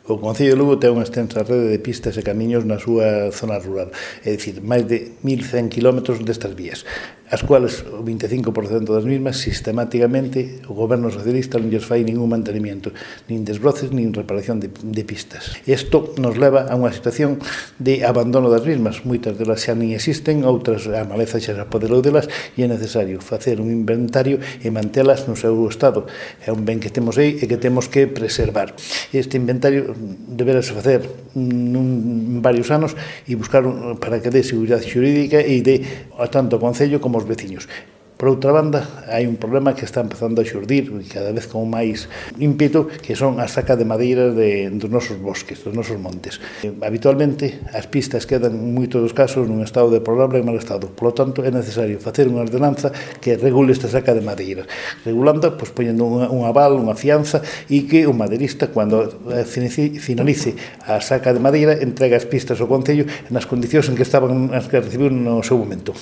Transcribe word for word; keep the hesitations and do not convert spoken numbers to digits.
O Concello de Lugo ten unha extensa rede de pistas e camiños na súa zona rural, é dicir, máis de mil cen kilómetros destas vías, as cuales o vinte e cinco por cento das mismas sistemáticamente o goberno socialista non lles fai ningún mantenimiento, nin desbroces, nin reparación de, de pistas. Isto nos leva a unha situación de abandono das mismas, moitas delas xa nin existen, outras a maleza xa se apoderou delas e é necesario facer un inventario e mantelas no seu estado. É un ben que temos aí e que temos que preservar. Este inventario deberase facer nun varios anos e buscar para que dé seguridade xurídica e dé tanto ao Concello como aos veciños. Por outra banda, hai un problema que está empezando a xurdir cada vez con máis ímpeto, que son a saca de madeira de, dos nosos bosques, dos nosos montes. Habitualmente, as pistas quedan, en moitos dos casos, nun estado deplorable e mal estado. Por lo tanto, é necesario facer unha ordenanza que regule esta saca de madeira. Regulando, pois, poñendo un, un aval, unha fianza, e que o maderista, cando finalice a saca de madeira, entrega as pistas ao Concello nas condicións en que estaban as que recibiu no seu momento.